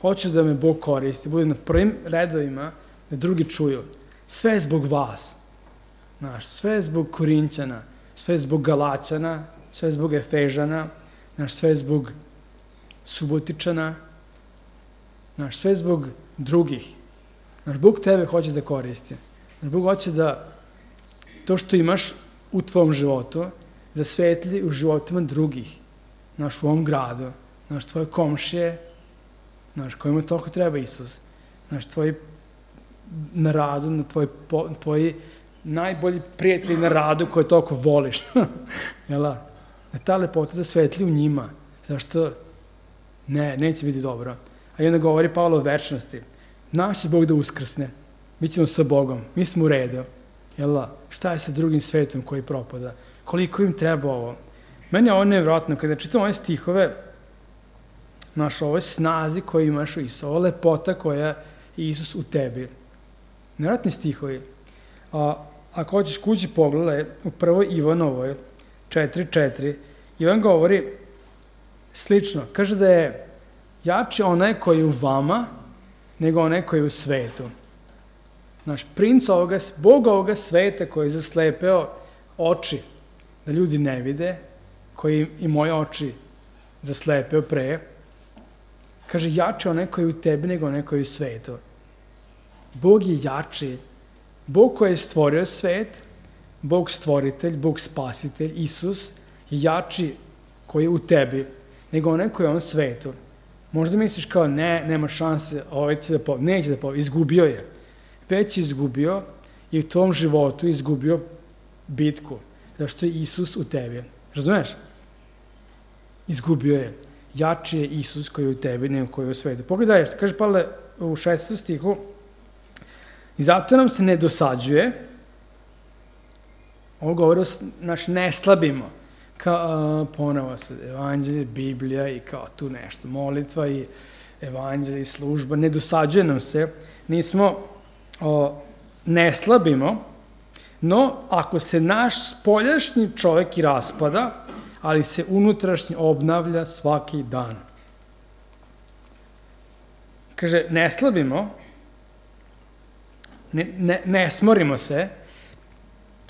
Hoću da me Bog koristi, bude na prvim redovima, da drugi čuju. Sve je zbog vas. Znaš, sve je zbog Korinćana, sve je zbog Galaćana, sve je zbog Efežana, znaš, sve je zbog Subotičana, znaš, sve je zbog drugih. Znaš, Bog tebe hoće da koristi. Znaš, Bog hoće da to što imaš u tvom životu zasvetli u životima drugih. Znaš, u ovom gradu, znaš, tvoje komšije, znaš, kojima toliko treba Isus. Znaš, tvoji na radu, tvoji najbolji prijatelji na radu koje toliko voliš. Jela? Da ta lepota zasvetli u njima. Zašto? Ne, neće biti dobro. A i onda govori Pavle o večnosti. Naš će Bog da uskrsne. Mi ćemo sa Bogom. Mi smo u redu. Jela? Šta je sa drugim svetom koji propada? Koliko im treba ovo? Meni je ovo nevjerojatno, kada čitam ove stihove, znaš, ovoj snazi koju imaš u Isusu, ova lepota koja je Isus u tebi. Nevjerojatni stihovi. Ako hoćeš kući pogledaj, u prvoj Ivanovoj 4.4, Ivan govori slično. Kaže da je jači onaj koji je u vama, nego onaj koji je u svetu. Naš princ ovoga, Bog ovoga sveta koji je zaslepeo oči, da ljudi ne vide, koji i moje oči zaslepeo pre, kaže jači onaj koji je u tebi, nego onaj koji je u svetu. Bog je jači. Bog koji je stvorio svet, Bog stvoritelj, Bog spasitelj, Isus je jači koji je u tebi, nego onaj koji je u ovom svetu. Možda misliš kao nema šanse, će da pobedi. Neće da pobedi, izgubio je. Već je izgubio i u tom životu izgubio bitku, zašto je Isus u tebi. Razumeš? Izgubio je. Jači je Isus koji je u tebi, nego koji je u svetu. Pogledaj, što kaže Pavle u 6. stihu, i zato nam se ne dosađuje, ovo govori, ne slabimo, kao ponovo se evanđelje, Biblija i kao tu nešto, molitva i evanđelje i služba, ne dosađuje nam se, ne slabimo, no ako se naš spoljašnji čovjek i raspada, ali se unutrašnji obnavlja svaki dan. Kaže, ne slabimo, ne smorimo se,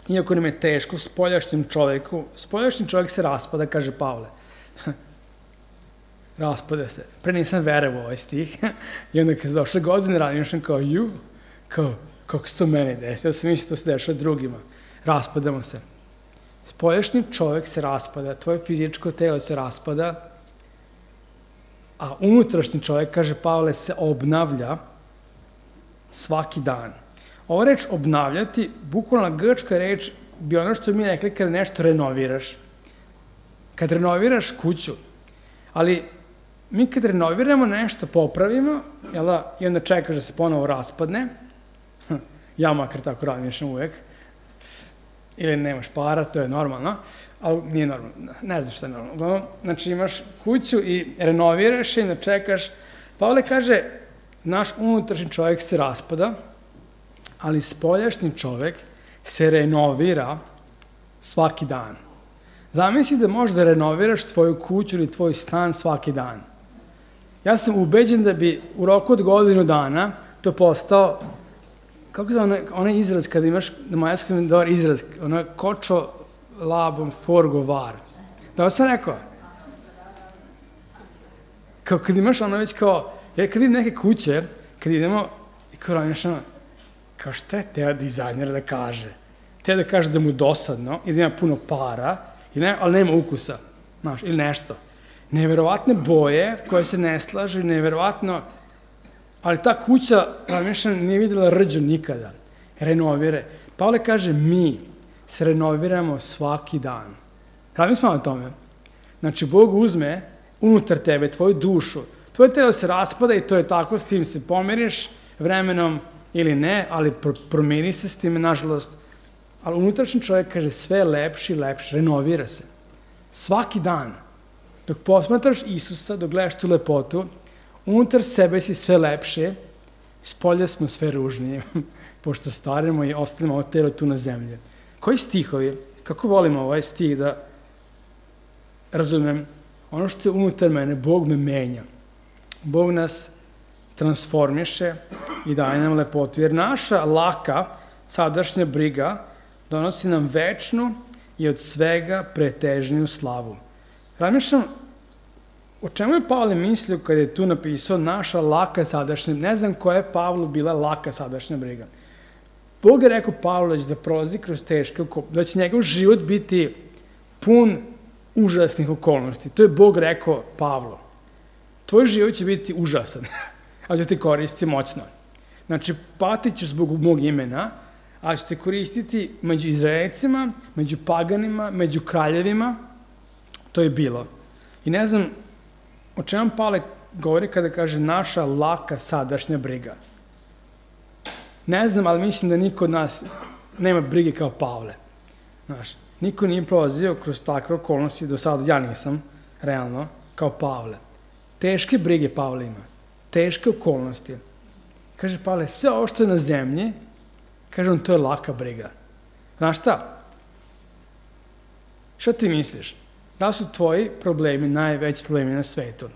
iako nam je teško spoljašnjem čovjeku. Spoljašnji čovjek se raspada, kaže Pavle. Raspada se. Pre nisam verovao ovaj stih. I onda kad se došle godine ranije, sam kao, kako se to meni desi? Ja sam mislio to se dešava drugima. Raspadamo se. Spoljašnji čovjek se raspada, tvoje fizičko telo se raspada, a unutrašnji čovjek, kaže Pavle, se obnavlja svaki dan. Ova reč obnavljati, bukvalna grčka reč bi ono što mi rekli kada nešto renoviraš. Kad renoviraš kuću, ali mi kad renoviramo nešto, popravimo, i onda čekaš da se ponovo raspadne, ja makar tako razmišljam uvek, ili nemaš para, to je normalno, ali nije normalno, ne znam šta je normalno. Znači imaš kuću i renoviraš je i onda čekaš. Pavle kaže, naš unutrašnji čovjek se raspada, ali spoljašnji čovjek se renovira svaki dan. Zamisli da možeš da renoviraš tvoju kuću ili tvoj stan svaki dan. Ja sam ubeđen da bi u roku od godinu dana to postao, kako se onaj izraz kada imaš na mađarskom dobar izraz, ono kočo labom forgovar. Da sam rekao? Kao kad imaš ono već kao, ja kad vidim neke kuće, kad idemo i kao razmišljamo, kao šta je teo dizajner da kaže? Teo da kaže da mu dosadno i da ima puno para, ali nema ukusa, znaš, ili nešto. Neverovatne boje koje se ne slažu, neverovatno, ali ta kuća, razmišljam, nije videla rđu nikada. Renovire. Pavle kaže, mi se renoviramo svaki dan. Razmišljamo o tome. Znači, Bog uzme unutar tebe, tvoju dušu, tvoje telo se raspada i to je tako, s tim se pomiriš vremenom ili ne, ali promeni se s time, nažalost. Ali unutrašnji čovjek kaže sve lepši i lepši, renovira se. Svaki dan. Dok posmatraš Isusa, dok gledaš tu lepotu, unutar sebe si sve lepše, spolja smo sve ružnije, pošto starimo i ostavimo ovo telo tu na zemlji. Koji stihovi? Kako volimo ovaj stih da razumem? Ono što je unutar mene, Bog me menja. Bog nas transformiše i daje nam lepotu. Jer naša laka, sadašnja briga donosi nam večnu i od svega pretežniju slavu. Razmišljam, o čemu je Pavle mislio kada je tu napisao naša laka sadašnja, ne znam koja je Pavlu bila laka sadašnja briga. Bog je rekao Pavlu da će prolazi kroz teške okolnosti, da će njegov život biti pun užasnih okolnosti. To je Bog rekao Pavlu. Tvoj život će biti užasan, ali će te koristiti moćno. Znači, patit ćeš zbog mog imena, ali će te koristiti među Izraelcima, među paganima, među kraljevima. To je bilo. I ne znam o čemu Pavle govori kada kaže naša laka sadašnja briga. Ne znam, ali mislim da niko od nas nema brige kao Pavle. Znaš, niko nije prolazio kroz takve okolnosti, do sada ja nisam, realno, kao Pavle. Teške brige Pavle ima, teške okolnosti. Kaže Pavle, sve ovo što je na zemlji, kaže on, to je laka briga. Znaš šta? Šta ti misliš? Da su tvoji problemi najveći problemi na svetu?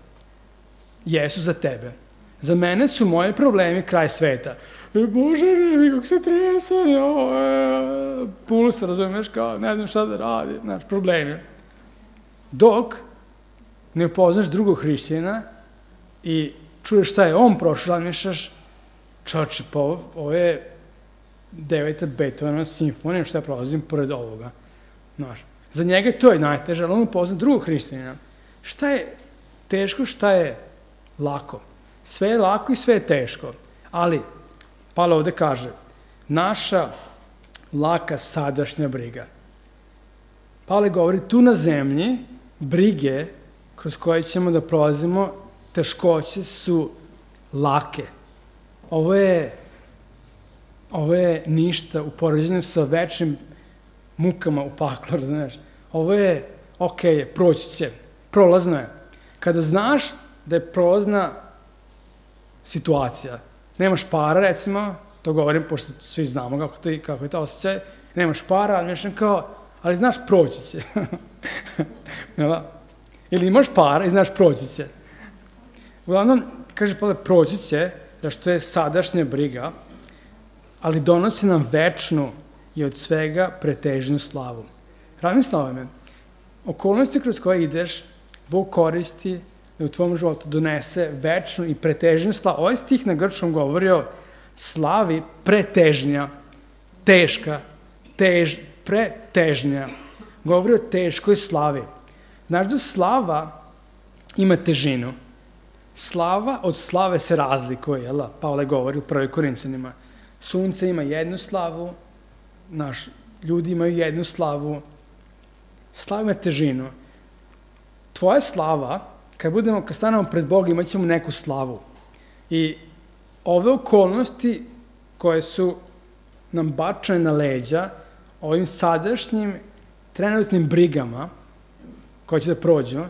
Jesu za tebe. Za mene su moji problemi kraj sveta. Bože, ne, kako se trese, puls, razumiješ, kao, ne znam šta da radi, znaš, problemi. Dok ne upoznaš drugog hrišćanina i čuješ šta je on prošao, razmišljaš, čoče, pa ovo je 9. Beethovenova simfonija, šta ja prolazim pored ovoga. Znaš, za njega to je najteže, ali on upozna drugog hrišćanina. Šta je teško, šta je lako? Sve je lako i sve je teško, ali Pavle ovde kaže, naša laka sadašnja briga. Pavle govori, tu na zemlji brige kroz koje ćemo da prolazimo, teškoće su lake. Ovo je ništa u poređenju sa večnim mukama u paklu, razumiješ? Ovo je, proći će, prolazno je. Kada znaš da je prolazna situacija, nemaš para, recimo, to govorim, pošto svi znamo kako je to osjećaj, nemaš para, ali znaš, proći će. Ili imaš para i znaš, proći će. Uglavnom, kaže Pavle, proći će, zašto je sadašnja briga, ali donosi nam večnu i od svega pretežnu slavu. Razmisli o ovome. Okolnosti kroz koje ideš, Bog koristi da u tvom životu donese večnu i pretežnju slavu. Ovaj stih na grčkom govori o slavi pretežnja, teška, pretežnja. Govori o teškoj slavi. Znaš da slava ima težinu. Slava od slave se razlikuje, jel da? Pavle govori u 1. Korinćanima. Sunce ima jednu slavu, ljudi imaju jednu slavu. Slava ima težinu. Tvoja slava, kad stanemo pred Bogom, imat ćemo neku slavu. I ove okolnosti koje su nam bačene na leđa, ovim sadašnjim trenutnim brigama, koje će da prođu,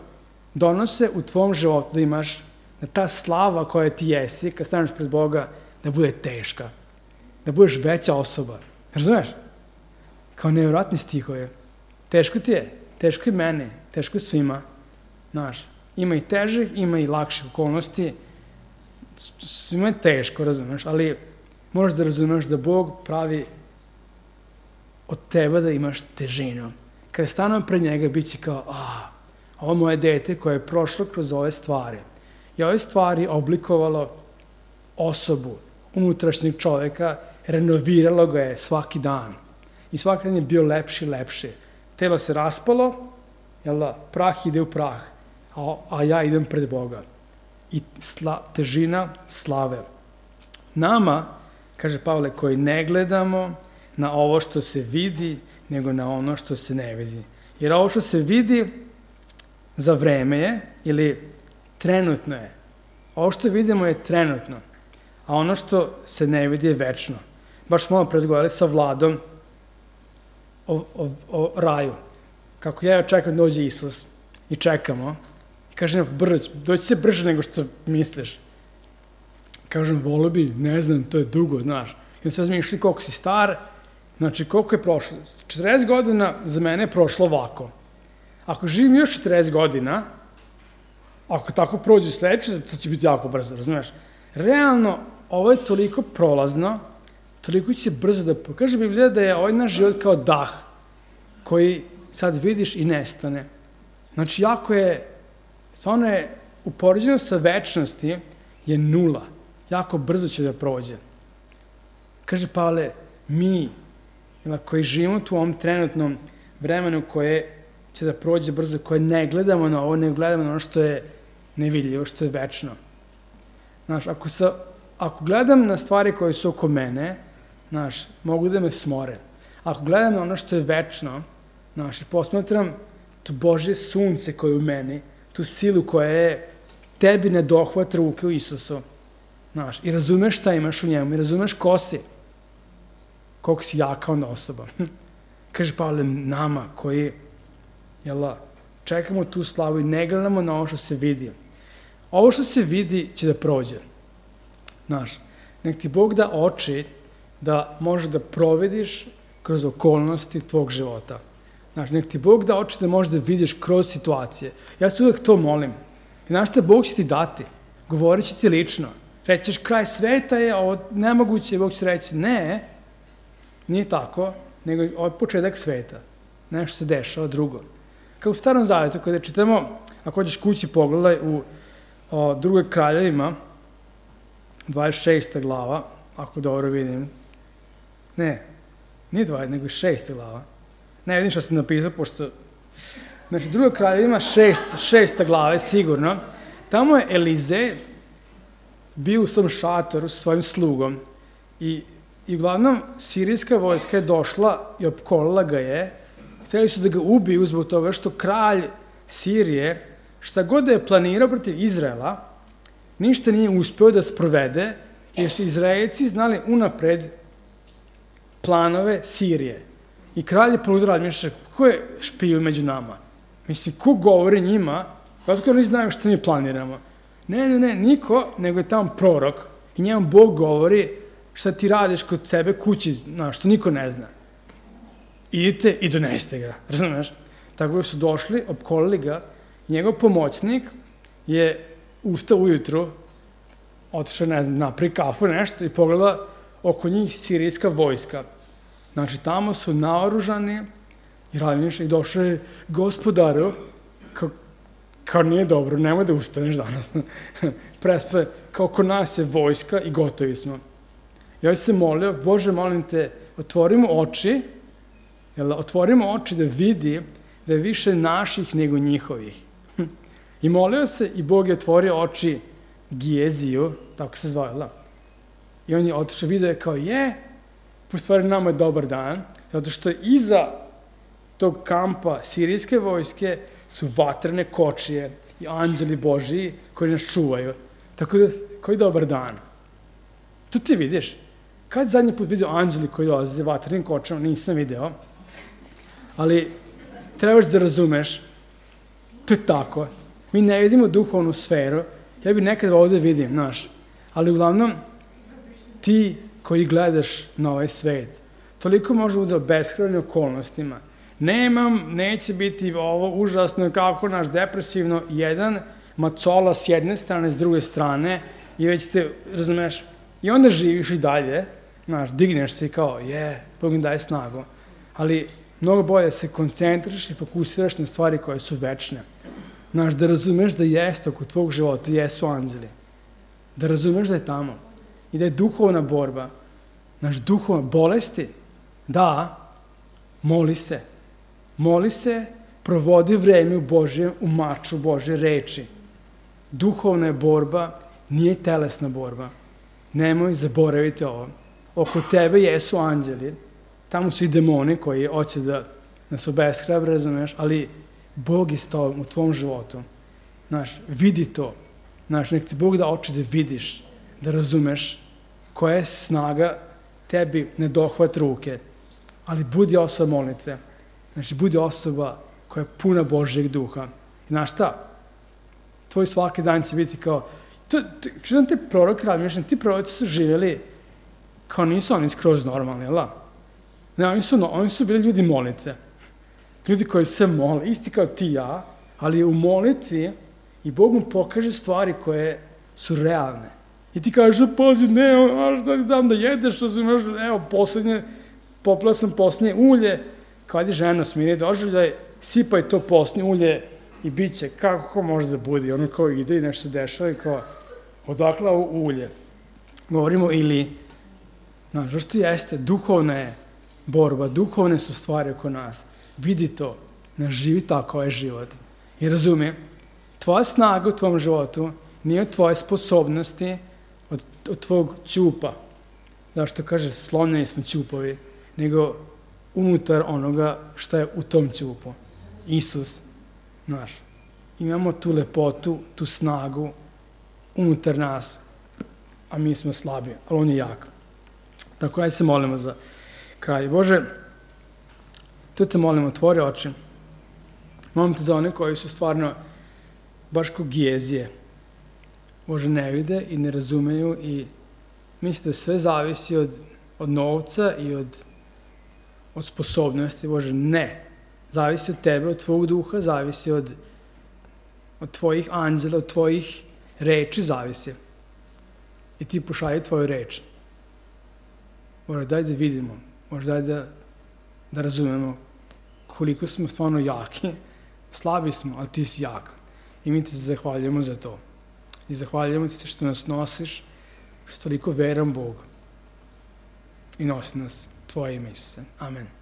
donose u tvom životu da imaš, da ta slava koja ti jesi, kad staneš pred Boga, da bude teška. Da budeš veća osoba. Razumeš? Kao nevjerojatni stihovi. Teško ti je. Teško i meni. Teško svima. Znaš, ima i težih, ima i lakših okolnosti. Svima je teško, razumeš, ali moraš da razumeš da Bog pravi od tebe da imaš težinu. Kada stanemo pred njega, bit će kao, ovo moje dete koje je prošlo kroz ove stvari. I ove stvari oblikovalo osobu, unutrašnjeg čoveka, renoviralo ga je svaki dan. I svaki dan je bio lepši i lepši. Telo se raspalo, jel da, prah ide u prah, a ja idem pred Boga. I težina slave. Nama, kaže Pavle, koji ne gledamo na ovo što se vidi, nego na ono što se ne vidi. Jer ovo što se vidi za vreme je, ili trenutno je. Ovo što vidimo je trenutno, a ono što se ne vidi je večno. Baš smo malo razgovarali sa Vladom o raju. Kako ja čekam da dođe Isus i čekamo. I kažem, doći se brže nego što misliš. Kažem, volio bi, ne znam, to je dugo, znaš. I on se razmišljali koliko si star, znači koliko je prošlo. 40 godina za mene je prošlo ovako. Ako živim još 40 godina, ako tako prođe sledeće, to će biti jako brzo, razumiješ? Realno, ovo je toliko prolazno, toliko će brzo da... Kaže Biblija da je ovaj naš život kao dah, koji sad vidiš i nestane. Znači, jako je, stvarno je, u poređenju sa večnosti, je nula. Jako brzo će da prođe. Kaže Pavle, mi, koji živimo u ovom trenutnom vremenu koje će da prođe brzo, koje ne gledamo na ovo, ne gledamo na ono što je nevidljivo, što je večno. Znaš, ako gledam na stvari koje su oko mene, znaš, mogu da me smore. Ako gledam na ono što je večno, znaš, i posmatram to Božje sunce koje je u meni, tu silu koja je tebi ne dohvat ruke u Isusu, znaš, i razumeš šta imaš u njemu, i razumeš ko si, koliko si jaka onda osoba. Kaže Pavle, nama koji čekamo tu slavu i ne gledamo na ovo što se vidi. Ovo što se vidi će da prođe. Znaš, nek ti Bog da oči da možeš da provediš kroz okolnosti tvog života. Znaš, nek ti Bog da oči da možeš da vidiš kroz situacije. Ja se uvek to molim. I znaš šta, Bog će ti dati. Govorit će ti lično. Rećeš, kraj sveta je, ovo nemoguće, Bog će reći, ne, nije tako, nego od početak sveta. Nešto se dešava drugo. Kao u Starom Zavetu, kada čitamo, ako hoćeš kući pogledaj u Drugoj Kraljevima, 26. glava, ako dobro vidim. Ne, nije 20, nego 6. glava. Ne vidim što sam napisao, pošto... Znači, Druga Kraljevima, 6. glava, sigurno. Tamo je Elizej bio u svom šatoru sa svojim slugom i uglavnom sirijska vojska je došla i opkolila ga je. Hteli su da ga ubiju zbog toga što kralj Sirije, šta god da je planirao protiv Izraela, ništa nije uspeo da sprovede, jer su Izraelci znali unapred planove Sirije. I kralj je poludro razmišlja, ko je špiju među nama? Mislim, ko govori njima, kako oni znaju što mi planiramo? Ne, niko, nego je tamo prorok i njemu Bog govori šta ti radiš kod sebe kući, što niko ne zna. Idite i donesite ga, razumeš? Tako da su došli, opkolili ga, njegov pomoćnik je ustao ujutru, otišao, ne znam, napri kafu, nešto i pogleda oko njih sirijska vojska. Znači, tamo su naoružani i razmišljaju i došli gospodaru, kao nije dobro, nemoj da ustaneš danas. Prespe, kao kod nas je vojska i gotovi smo. Ja se molio, Bože, molim te, otvorimo oči da vidi da je više naših nego njihovih. I molio se i Bog je otvorio oči Gijeziju, tako se zvao, i on je otišao, vidio je kao po stvari nama je dobar dan, zato što iza tog kampa sirijske vojske su vatrene kočije i anđeli Božiji koji nas čuvaju. Tako da, koji dobar dan. To ti vidiš. Kad zadnji put vidio anđeli koji dolaze vatrenim kočama, nisam video. Ali trebaš da razumeš, to je tako. Mi ne vidimo duhovnu sferu. Ja bih nekad ovde vidim, znaš. Ali uglavnom, ti koji gledaš na ovaj svet, toliko može bude obeshrabljeni okolnostima. Neće biti ovo užasno, kako naš depresivno, jedan macola s jedne strane, s druge strane, i već te, razumeš, i onda živiš i dalje, znaš, digneš se i kao, Bog mi daje snagu, ali mnogo bolje se koncentriš i fokusiraš na stvari koje su večne. Znaš, da razumeš da jeste oko tvog života, jesu anđeli. Da razumeš da je tamo i da je duhovna borba, znaš, duhovna bolesti, da, moli se, provodi vreme u maču Božje reči. Duhovna je borba, nije telesna borba. Nemoj zaboraviti ovo. Oko tebe jesu anđeli, tamo su i demoni koji hoće da nas obeshrabre, razumeš, ali Bog je s tobom u tvom životu. Znaš, vidi to. Znaš, nek ti Bog da oči da vidiš, da razumeš koja je snaga tebi ne dohvat ruke, ali budi osoba molitve. Znači, budi osoba koja je puna Božjeg duha. I znaš šta? Tvoj svaki dan će biti kao... Čudan te proroke razmišljam, ti proroci su živjeli kao nisu oni skroz normalni, jel da? Ne, oni su bili ljudi molitve. Ljudi koji se mole, isti kao ti i ja, ali u molitvi i Bog mu pokaže stvari koje su realne. I ti kažeš, pazi, što ti dam da jedeš, popila sam posljednje ulje, kad je žena smiri doživljaj, sipaj to posljednje ulje i bit će, kako može da bude, ono kao ide i nešto se dešava i kao, odakle ovo ulje. Govorimo ili, znaš, što jeste, duhovna je borba, duhovne su stvari oko nas. Vidi to, ne živi tako ovaj život. I razumije, tvoja snaga u tvom životu nije od tvoje sposobnosti, od tvog ćupa. Zašto kaže, slomljeni smo ćupovi, nego unutar onoga što je u tom ćupu. Isus, znaš, imamo tu lepotu, tu snagu unutar nas, a mi smo slabi, ali on je jak. Tako, ajde se molimo za kraj. Bože, Tu te molim, otvori oči. Molim te za one koji su stvarno baš kao Gijezije. Bože, ne vide i ne razumeju i misle da sve zavisi od novca i od sposobnosti. Bože, ne. Zavisi od tebe, od tvojeg duha, zavisi od tvojih anđela, od tvojih reči zavisi. I ti pošalji tvoju reč. Bože, daj da vidimo. Bože, daj da razumemo koliko smo stvarno jaki. Slabi smo, ali ti si jak. I mi ti se zahvaljujemo za to. I zahvaljujemo ti se što nas nosiš, što toliko veran Bog. I nosi nas tvoje ime, Isuse. Amen.